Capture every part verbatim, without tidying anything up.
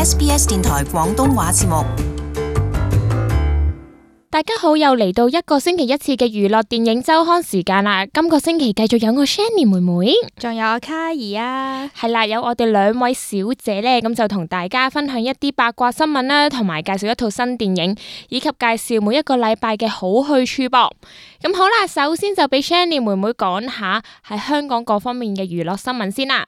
S B S 電台廣東話節目。大家好，又嚟到一個星期一次嘅娛樂電影周刊時間啦。今個星期繼續有我 Shani 妹妹，仲有我卡兒啊。係啦，有我哋兩位小姐呢，咁就同大家分享一啲八卦新聞啦，同埋介紹一套新電影，以及介紹每一個禮拜嘅好去處噃。咁好啦，首先就俾 Shani 妹妹講下喺香港各方面嘅娛樂新聞先啦。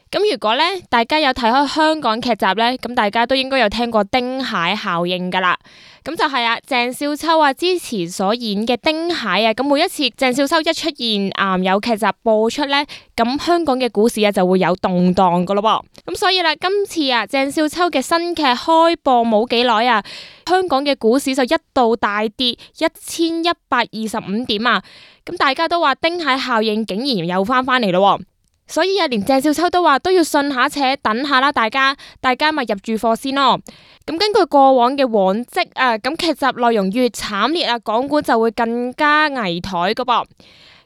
咁如果咧大家有睇開香港劇集咧，咁大家都應該有聽過丁蟹效應噶啦。咁就係啊，鄭少秋啊之前所演嘅丁蟹啊，咁每一次鄭少秋一出現啊、嗯、有劇集播出咧，咁香港嘅股市啊就會有動盪噶咯噃。咁所以啦，今次啊鄭少秋嘅新劇開播冇幾耐啊，香港嘅股市就一度大跌一千一百二十五點啊。咁大家都話丁蟹效應竟然又翻翻嚟咯。所以啊，連鄭少秋都話都要信下且等下啦，大家大家咪入住貨先咯。咁根據過往嘅往績啊，咁劇集內容越慘烈啊，港股就會更加危殆噶噃。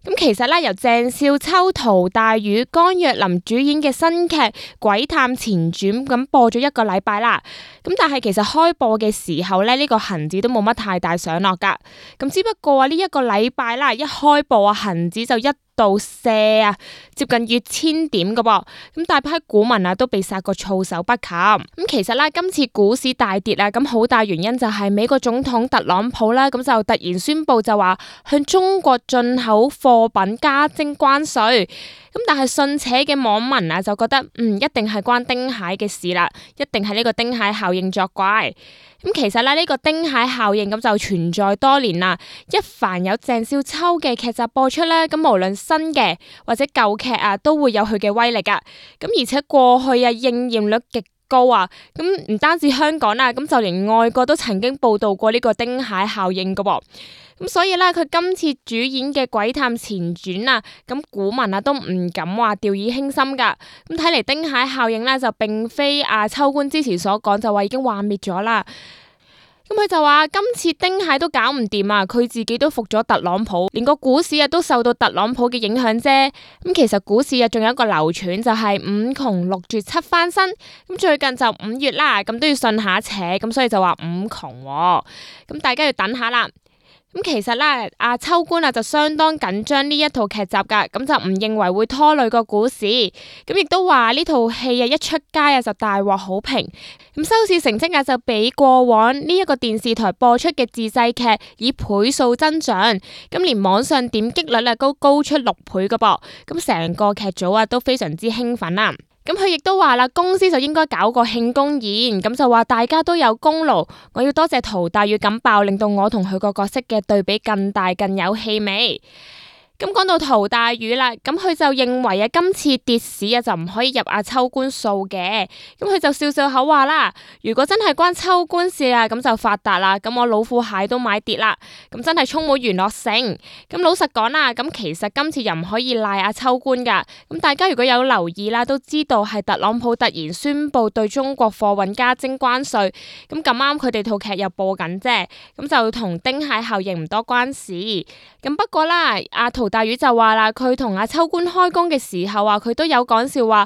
咁其實咧，由鄭少秋、陶大宇、江若琳主演嘅新劇《鬼探前傳》咁播咗一個禮拜啦。咁但係其實開播嘅時候咧，呢、這個恒指都冇乜太大上落噶。咁只不過啊，呢一個禮拜啦，一開播啊，恒指就一度瀉啊，接近越千點噶噃。咁大批股民啊都被殺個措手不及。咁其實啦，今次股市大跌啊，咁好大原因就係美國總統特朗普啦，咁就突然宣布就話向中國進口貨品加徵關稅。咁但係信邪嘅網民啊就覺得嗯，一定係關丁蟹嘅事啦，一定係呢個丁蟹效應作怪。咁其實咧，呢個丁蟹效應咁就存在多年啦。一凡有鄭少秋嘅劇集播出咧，咁無論新嘅或者舊劇啊，都會有佢嘅威力噶。咁而且過去啊應驗率極高啊，咁唔單止香港啦，咁就連外國都曾經報道過呢個丁蟹效應噶噃。咁所以咧，佢今次主演嘅《鬼探前傳》啊，咁股民啊都唔敢話掉以輕心噶。咁睇嚟丁蟹效應咧就並非啊秋官之前所講就話已經幻滅咗啦。咁佢就話今次丁蟹都搞唔掂啊，佢自己都服咗特朗普，連個股市啊都受到特朗普嘅影響啫。咁其實股市啊仲有一個流傳就係五窮六絕七翻身。咁最近就五月啦，咁都要信下邪，咁所以就話五窮喎。咁大家要等下啦。咁其實咧，阿秋官啊就相當緊張呢一套劇集噶，咁就唔認為會拖累個股市，咁亦都話呢套戲啊一出街啊就大獲好評，咁收視成績啊就比過往呢一個電視台播出嘅自製劇以倍數增長，咁連網上點擊率啊都高出六倍噶噃，咁成個劇組啊都非常之興奮啦。咁佢亦都話啦，公司就應該搞個慶功宴，咁就話大家都有功勞，我要多謝陶大宇咁爆，令到我同佢個角色嘅對比更大更有氣味。咁講到陶大宇啦，咁佢就認為啊，今次跌市啊就唔可以入阿秋官數嘅。咁佢就笑笑口話啦，如果真係關秋官事啊，咁就發達啦。咁我老虎蟹都買跌啦，咁真係充滿娛樂性。咁老實講啦，咁其實今次又唔可以賴阿秋官噶。咁大家如果有留意啦，都知道係特朗普突然宣布對中國貨運加徵關稅。咁咁啱佢哋套劇又播緊啫，咁就同丁蟹效應唔多關事。咁不過啦，阿陶大宇就話啦，佢同阿秋官開工嘅時候啊，佢都有講笑話，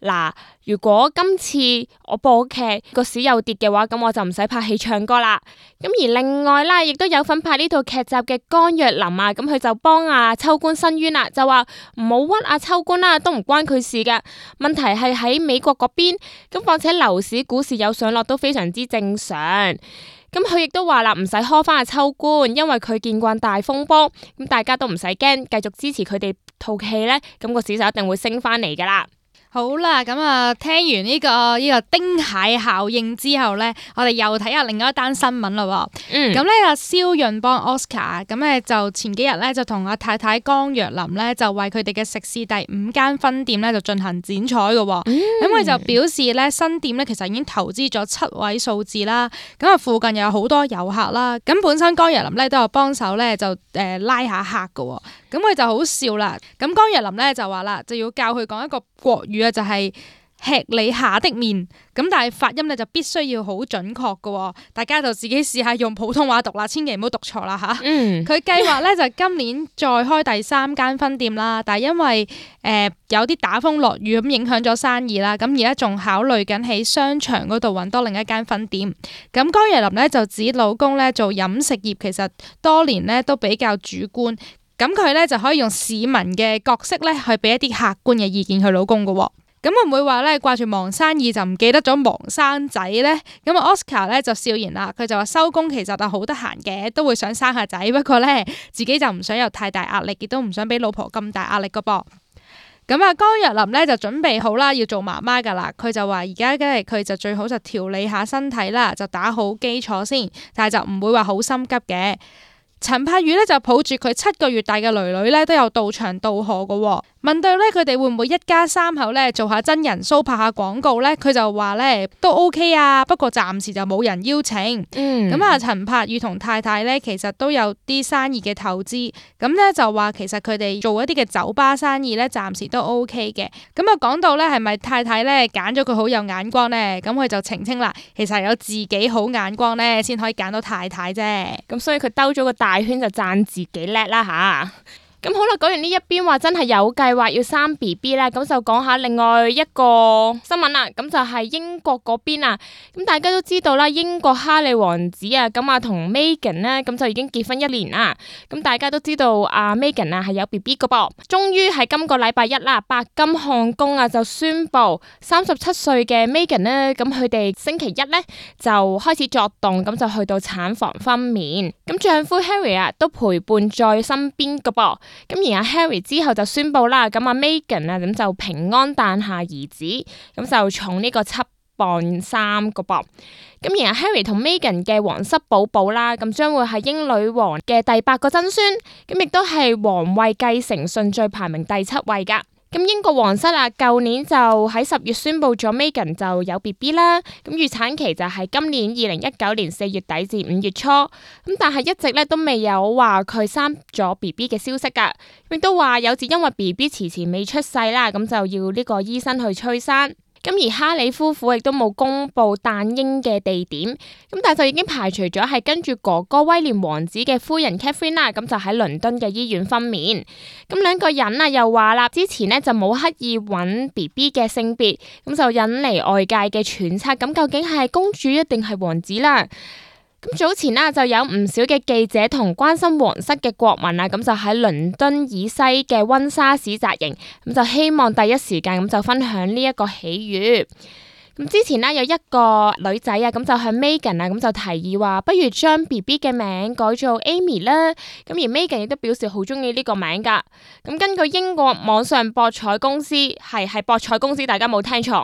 嗱，如果今次我播劇個市又跌嘅話，咁我就唔使拍戲唱歌啦。咁而另外啦，亦都有份拍呢套劇集嘅江若琳啊，咁佢就幫阿秋官申冤啦，就話唔好屈阿秋官啦，都唔關佢事噶。問題係喺美國嗰邊，咁況且樓市股市有上落都非常之正常。咁佢亦都話啦，唔使呵翻阿秋官，因為佢見慣大風波，咁大家都唔使驚，繼續支持佢哋套戲呢，咁個市就一定會升翻嚟噶啦。好啦，咁啊，聽完呢、這個呢、這個丁蟹效應之後咧，我哋又睇下另外一單新聞啦。嗯，咁咧阿蕭潤邦 Oscar 咁咧就前幾日咧就同阿太太江若琳咧就為佢哋嘅食肆第五間分店咧就進行剪彩嘅。咁佢、嗯、就表示咧新店咧其實已經投資咗七位數字啦。咁啊附近又有好多遊客啦。咁本身江若琳咧都有幫手咧就誒、呃、拉下客嘅。咁佢就好笑啦。咁江若琳咧就話啦，就要教佢講一個國語啊，就係、是。吃你下的面，咁但係發音咧就必須要好準確嘅，大家就自己試下用普通話讀啦，千祈唔好讀錯啦吓。嗯，佢計劃咧就今年再開第三間分店啦，但係因為誒、呃、有啲打風落雨咁影響咗生意啦，咁而家仲考慮緊喺商場嗰度揾多另一間分店。咁江若琳咧就指老公咧做飲食業其實多年咧都比較主觀。咁佢咧就可以用市民嘅角色咧去俾一啲客觀嘅意見佢老公噶，咁會唔會話咧掛住忙生意就唔記得咗忙生仔咧？咁啊 Oscar 咧就笑言啦，佢就話收工其實係好得閒嘅，都會想生下仔，不過咧自己就唔想有太大壓力，亦都唔想俾老婆咁大壓力噶噃。咁啊江若琳咧就準備好啦，要做媽媽噶啦，佢就話而家梗係佢就最好就調理下身體啦，就打好基礎先，但係就唔會話好心急嘅。陳柏宇咧就抱住佢七個月大嘅女女咧都有到場道賀嘅，問到咧佢哋會唔會一家三口咧做下真人 show 拍下廣告咧，佢就話咧都 OK 啊，不過暫時就冇人邀請。嗯，咁啊陳柏宇同太太咧其實都有啲生意嘅投資，咁咧就話其實佢哋做一啲嘅酒吧生意咧暫時都 OK 嘅。咁啊講到咧係咪太太咧揀咗佢好有眼光咧，咁佢就澄清啦，其實係有自己好眼光咧先可以揀到太太啫。咁所以佢兜咗個大圈就讚自己叻啦吓。咁好啦，講完呢一邊話真係有計劃要生 B B 啦，咁就講下另外一個新聞啦。咁就係英國嗰邊啊，咁大家都知道啦，英國哈利王子啊，咁啊同 Meghan 呢，咁就已經結婚一年啦。咁大家都知道阿 Meghan 啊係有 B B 噶噃，終於喺今個禮拜一啦，白金漢宮啊就宣布三十七歲嘅 Meghan 呢，咁佢哋星期一呢就開始作動，咁就去到產房分娩。咁丈夫 Harry 啊都陪伴在身邊噶噃。咁而阿 Harry 之後就宣布啦，咁阿 Meghan 啊咁就平安誕下兒子，咁就重呢個七磅三個噃。咁而阿 Harry 同 Meghan 嘅皇室寶寶啦，咁將會係英女王嘅第八個曾孫，咁亦都係皇位繼承順序排名第七位噶。咁英國皇室啊，舊年就喺十月宣布咗 Meghan 就有 B B 啦，咁預產期就係今年二零一九年四月底至五月初，咁但係一直咧都未有話佢生咗 B B 嘅消息噶，亦都話有時因為 B B 遲遲未出世啦，咁就要呢個醫生去催生。咁而哈里夫婦亦都冇公布誕嬰嘅地點，咁但係就已經排除咗係跟住哥哥威廉王子嘅夫人 Catherine 啦，咁就喺倫敦嘅醫院分娩。咁兩個人啊又話啦，之前呢就冇刻意揾 B B 嘅性別，咁就引嚟外界嘅揣測，咁究竟係公主一定係王子啦？咁早前啦，就有唔少嘅記者同關心皇室嘅國民啊，咁就喺倫敦以西嘅溫莎市紮營，咁就希望第一時間咁就分享呢一個喜悅。咁之前呢，有一個女仔啊，咁就向 Meghan 啊，咁就提議話，不如將 B B 嘅名改做 Amy 啦。咁而 Meghan 亦都表示好中意呢個名噶。咁根據英國網上博彩公司，係係博彩公司，大家冇聽錯。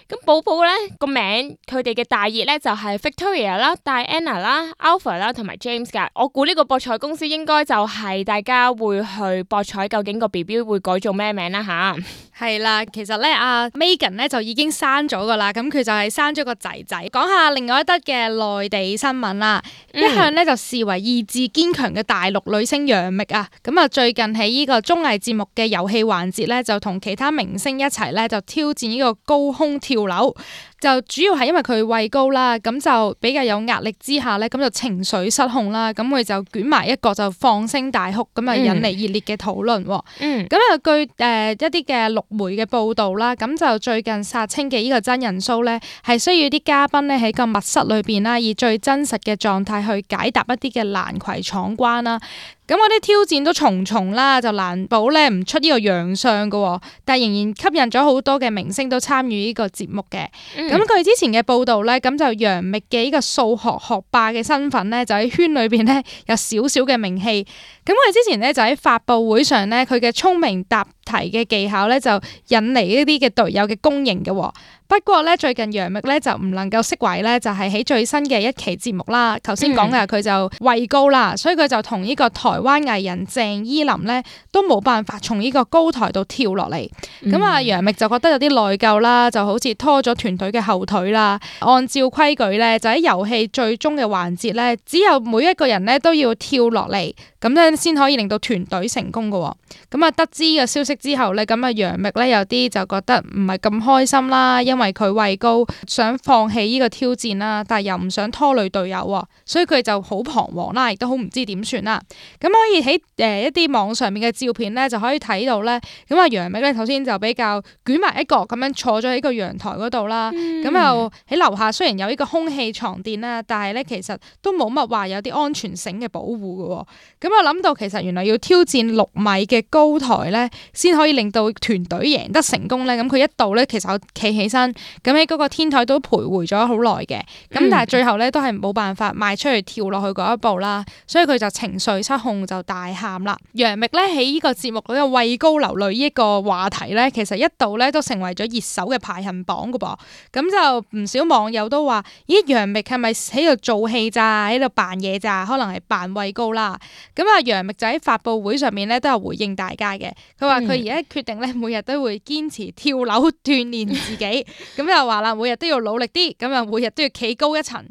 咁寶寶咧個名，佢哋嘅大熱咧就係 Victoria 啦、Diana 啦、Alpha 啦同埋 James 噶。我估呢個博彩公司應該就係大家會去博彩，究竟個 B B 會改做咩名啦吓。係啦，其實咧阿 Meghan 咧就已經生咗噶啦，咁佢就係生咗個仔仔。講下另外一則嘅內地新聞啦，嗯、一向咧就視為意志堅強嘅大陸女星楊冪啊，咁啊最近喺呢個綜藝節目嘅遊戲環節咧，就同其他明星一齊咧就挑戰呢個高空跳樓。就主要係因為佢位高啦，咁就比較有壓力之下咧，咁就情緒失控啦，咁佢就捲埋一個就放聲大哭，咁啊引嚟熱烈嘅討論。嗯，咁啊據誒、呃、一啲嘅陸媒嘅報道啦，咁就最近殺青嘅呢個真人 show 咧，係需要啲嘉賓咧喺個密室裏邊啦，以最真實嘅狀態去解答一啲嘅難題闖關啦。咁嗰啲挑戰都重重啦，就難保咧唔出呢個洋相噶，但係仍然吸引咗好多嘅明星都參與呢個節目嘅。咁佢、嗯、之前嘅報道咧，咁就楊冪嘅呢個數學學霸嘅身份咧，就喺圈裏邊咧有少少嘅名氣。咁佢之前咧就喺發佈會上咧，佢嘅聰明答題嘅技巧咧就引嚟呢啲嘅隊友嘅公認嘅。不過咧最近楊冪咧就唔能夠釋懷咧，就係喺最新嘅一期節目啦。頭先講嘅佢就位高啦，所以佢就同呢個台灣藝人鄭伊琳咧都冇辦法從呢個高台度跳落嚟。咁啊楊冪就覺得有啲內疚啦，就好似拖咗團隊嘅後腿啦。按照規矩咧，就喺遊戲最終嘅環節咧，只有每一個人咧都要跳落嚟，咁樣先可以令到團隊成功嘅。咁啊得知嘅消息息之後咧，咁啊楊冪咧有啲就覺得唔係咁開心啦，因為佢畏高想放棄呢個挑戰啦，但係又唔想拖累隊友喎，所以佢就好彷徨啦，亦都好唔知點算啦。咁可以喺誒、呃、一啲網上面嘅照片咧就可以睇到咧，咁啊楊冪咧頭先就比較捲埋一角咁樣坐咗喺個陽台嗰度啦，咁又喺樓下雖然有呢個空氣床墊啦，但係咧其實都冇乜話有啲安全繩嘅保護嘅喎。咁我諗到其實原來要挑戰六米嘅高台咧，先可以令到團隊贏得成功咧。咁佢一度咧其實我企起身，咁喺嗰個天台都徘徊咗好耐嘅。咁但係最後咧都係冇辦法邁出去跳落去嗰一步啦，所以佢就情緒失控就大喊啦。楊冪咧喺呢個節目嗰個畏高流淚呢一個話題咧，其實一度咧都成為咗熱搜嘅排行榜噶噃。咁就唔少網友都話：咦，楊冪係咪喺度做戲咋？喺度扮嘢咋？可能係扮畏高啦。咁啊，楊冪就喺發佈會上面咧都有回應大家嘅。佢話佢而家決定咧每日都會堅持跳樓鍛鍊自己。咁又話啦，每日都要努力啲，咁啊每日都要企高一層。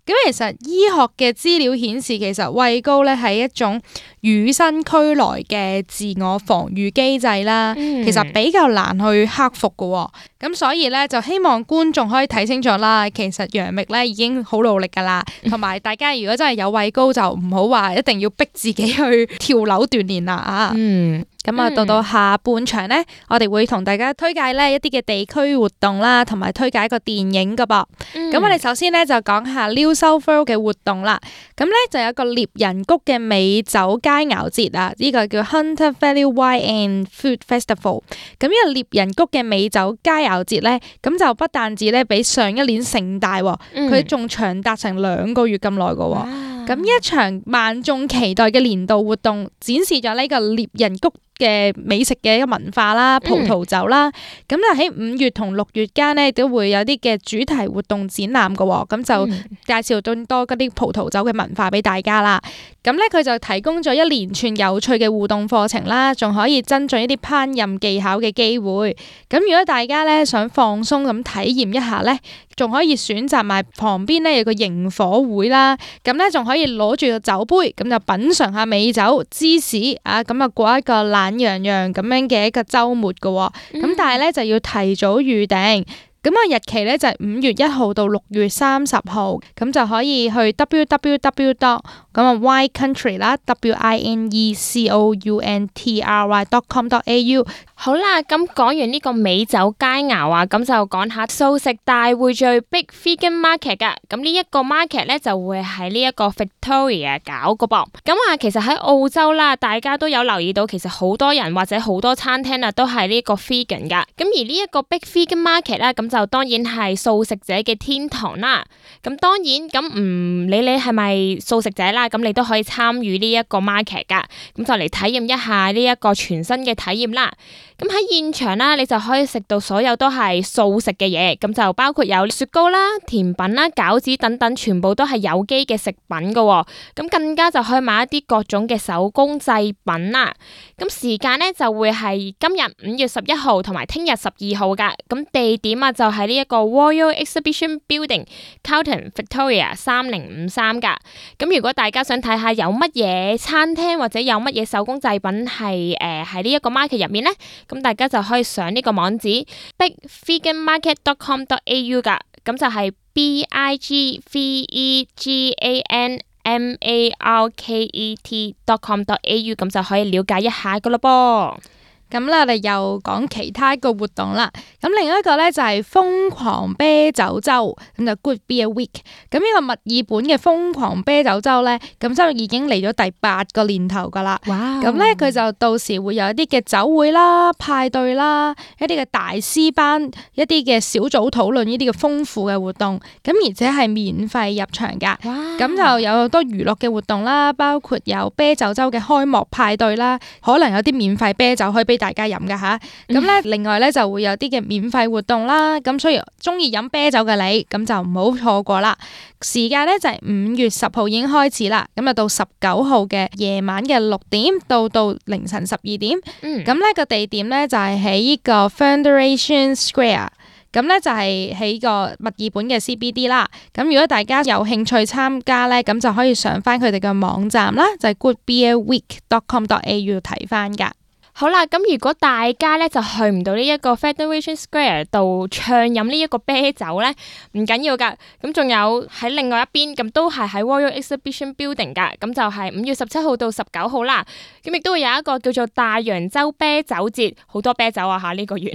咁其實醫學嘅資料顯示，其實畏高咧係一種與生俱來嘅自我防禦機制啦，嗯、其實比較難去克服嘅。咁所以咧就希望觀眾可以睇清楚啦。其實楊冪咧已經好努力噶啦，同埋大家如果真係有畏高，就唔好話一定要逼自己去跳樓鍛鍊啦啊！嗯。咁啊，到到下半場咧，我哋會同大家推介咧一啲嘅地區活動啦，同埋推介一個電影噶噃。咁、嗯、我哋首先咧就講下 New South Wales 嘅活動啦。咁咧就有一個獵人谷嘅美酒佳肴節啊，呢、這個叫 Hunter Valley Wine and Food Festival。咁呢個獵人谷嘅美酒佳肴節咧，咁就不但止咧比上一年盛大，佢仲、嗯、長達成兩個月咁耐噶。咁呢、啊、一場萬眾期待嘅年度活動，展示咗呢個獵人谷嘅美食嘅一個文化啦，葡萄酒啦，咁就喺五月同六月間咧都會有啲嘅主題活動展覽嘅，咁就介紹更多嗰啲葡萄酒嘅文化俾大家啦。咁咧佢就提供咗一連串有趣嘅互動課程啦，仲可以增進一啲烹飪技巧嘅機會。咁如果大家咧想放鬆咁體驗一下咧，仲可以選擇埋旁邊咧有個營火會啦，咁咧仲可以攞住個酒杯，咁就品嚐下美酒、芝士啊，咁啊過一個懶洋洋咁樣嘅一個週末嘅，咁、嗯、但係咧就要提早預訂。咁啊日期咧就係五月一號到六月三十號，咁就可以去 w w w dot 咁啊 wine country 啦 w i n e c o u n t r y dot com dot a u。好啦，咁講完呢個美酒佳肴啊，咁就講下素食大匯聚 Big Vegan Market 噶。咁呢一個 market 咧就會喺呢一個 Victoria 搞個噃。咁啊，其實喺澳洲啦，大家都有留意到，其實好多人或者好多餐廳啊都係呢個 vegan 噶。咁而呢一個 Big Vegan Market 咧，咁就當然係素食者嘅天堂啦。咁當然咁唔理你係咪素食者啦，咁你都可以參與呢一個 market 噶。咁就嚟體驗一下呢一個全新嘅體驗啦。咁喺現場啦，你就可以食到所有都係素食嘅嘢，咁就包括有雪糕啦、甜品啦、餃子等等，全部都係有機嘅食品噶。咁更加就可以買一啲各種嘅手工製品啦。咁時間咧就會係今日五月十一號同埋聽日十二號噶。咁地點啊就係呢一個 Royal Exhibition Building、Carlton Victoria 三零五三噶。咁如果大家想睇下有乜嘢餐廳或者有乜嘢手工製品係誒喺呢一個 market 入面咧？咁大家就可以上呢個網址 big vegan market dot com dot a u 噶，咁就係 b i g v e g a n m a r k e t dot com dot a u， 咁就可以了解一下噶咯噃。咁咧，我哋又講其他一個活動啦。咁另一個咧就係瘋狂啤酒周，咁就 Good Beer Week。咁呢個墨爾本嘅瘋狂啤酒周咧，咁就已經嚟咗第八個年頭噶啦。哇！咁咧佢就到時會有一啲嘅酒會啦、派對啦、一啲嘅大師班、一啲嘅小組討論呢啲嘅豐富嘅活動。咁而且係免費入場噶。哇！咁就有好多娛樂嘅活動啦，包括有啤酒周嘅開幕派對啦，可能有啲免費啤酒可以俾大家飲㗎吓，咁咧另外咧就會有啲嘅免費活動啦，咁所以中意飲啤酒嘅你，咁就唔好錯過啦。時間咧就係五月十號已經開始啦，咁啊到十九號嘅夜晚嘅六點到到凌晨十二點，咁咧個地點咧就係喺呢個 Federation Square。咁咧就係喺個墨爾本嘅 C B D 啦。咁如果大家有興趣參加咧，咁就可以上翻佢哋嘅網站啦，就係 good beer week dot com dot a u 睇翻噶。好啦，咁如果大家咧就去唔到呢一個 Federation Square 度暢飲呢一個啤酒咧，唔緊要噶。咁仲有喺另外一邊，咁都係喺 Royal Exhibition Building 噶。咁就係五月十七號到十九號啦。咁亦都會有一個叫做大洋洲啤酒節，好多啤酒啊吓呢個月。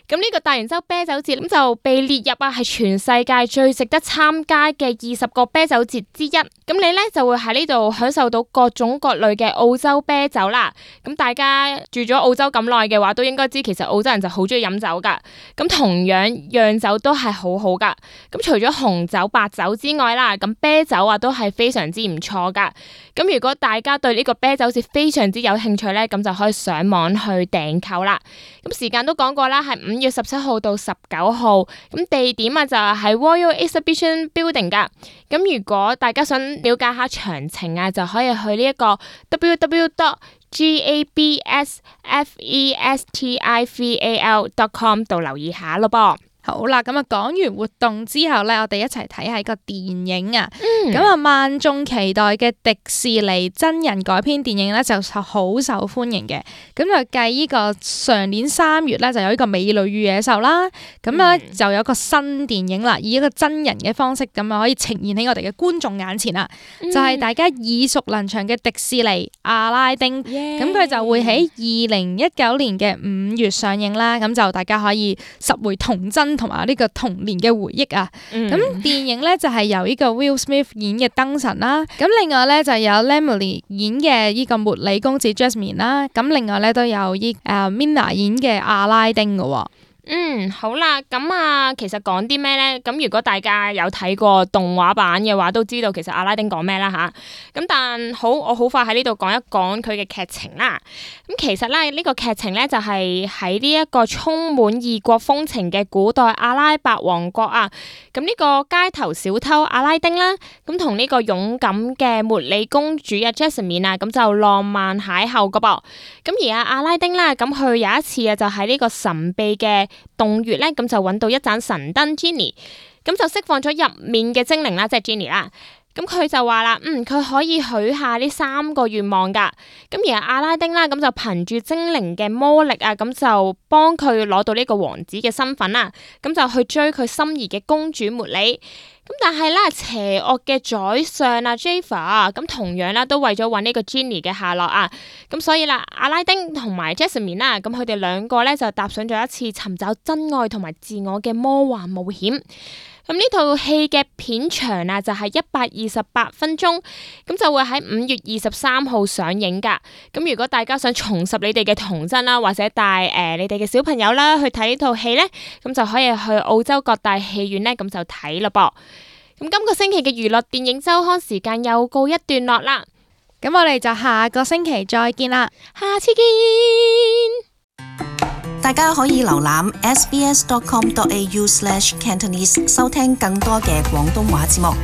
咁呢個大洋洲啤酒節咁就被列入啊係全世界最值得參加嘅二十個啤酒節之一。咁你咧就會喺呢度享受到各種各類嘅澳洲啤酒啦。咁大家住咗澳洲咁耐嘅話，都應該知其實澳洲人就好中意飲酒噶。咁同樣釀酒都係好好噶。咁除咗紅酒、白酒之外啦，咁啤酒啊都係非常之唔錯噶。咁如果大家對呢個啤酒節非常之有興趣咧，咁就可以上網去訂購啦。咁時間都講過啦，係五月十七號到十九號。咁地點啊就係喺 Royal Exhibition Building 噶。咁如果大家想了解下詳情啊，就可以去呢一個 w w w dot gabsfestival dot com 度留意下咯噃。好啦，咁啊講完活動之後咧，我哋一齊睇下個電影啊。咁啊、嗯，萬眾期待嘅迪士尼真人改編電影咧就好受歡迎嘅。咁就繼呢個上年三月咧就有呢個美女與野獸啦。咁咧、嗯、就有個新電影啦，以一個真人嘅方式咁啊可以呈現喺我哋嘅觀眾眼前啦。嗯、就係大家耳熟能詳嘅迪士尼阿拉丁。咁佢 Yeah. 就會喺二零一九年嘅五月上映啦。咁就大家可以拾回童真同埋呢個童年嘅回憶啊！咁、嗯、電影咧就係、是、由呢個 Will Smith 演嘅燈神啦，咁另外咧就有 Emily 演嘅呢個茉莉公子 Jasmine 啦，咁另外咧都有依誒 Minna 演嘅阿拉丁嘅喎。嗯，好啦，咁啊，其實講啲咩咧？咁如果大家有睇過動畫版嘅話，都知道其實阿拉丁講咩啦吓。咁但好，我好快喺呢度講一講佢嘅劇情啦。咁其實咧，呢、這個劇情咧就係喺呢一個充滿異國風情嘅古代阿拉伯王國啊。咁呢個街頭小偷阿拉丁啦，咁同呢個勇敢嘅茉莉公主啊 Jasmine 啊，咁就浪漫邂逅噶噃。咁而阿阿拉丁啦，咁佢有一次啊，就喺呢個神秘嘅洞穴咧，咁就揾到一盞神燈 Genie， 咁就釋放咗入面嘅精靈啦，即係 Genie 啦。咁佢就話啦，嗯，佢可以許下呢三個願望噶。咁而阿拉丁啦，咁就憑住精靈嘅魔力啊，咁就幫佢攞到呢個王子嘅身份啦。咁就去追佢心儀嘅公主茉莉。咁但係咧，邪惡嘅宰相啊 Jafar 咁同樣啦，都為咗揾呢個 Genie 嘅下落啊。咁所以啦，阿拉丁同埋 Jasmine 啦，咁佢哋兩個咧就踏上咗一次尋找真愛同埋自我嘅魔幻冒險。咁呢套戲嘅片長啊，就係一百二十八分鐘，咁就會喺五月二十三號上映噶。咁如果大家想重拾你哋嘅童真啦，或者帶誒、呃、你哋嘅小朋友啦去睇呢套戲咧，咁就可以去澳洲各大戲院咧，咁就睇咯噃。咁今個星期嘅娛樂電影週刊時間又告一段落啦。咁我哋就下個星期再見啦，下次見。大家可以瀏覽 s b s dot com dot a u slash cantonese 收聽更多嘅廣東話節目。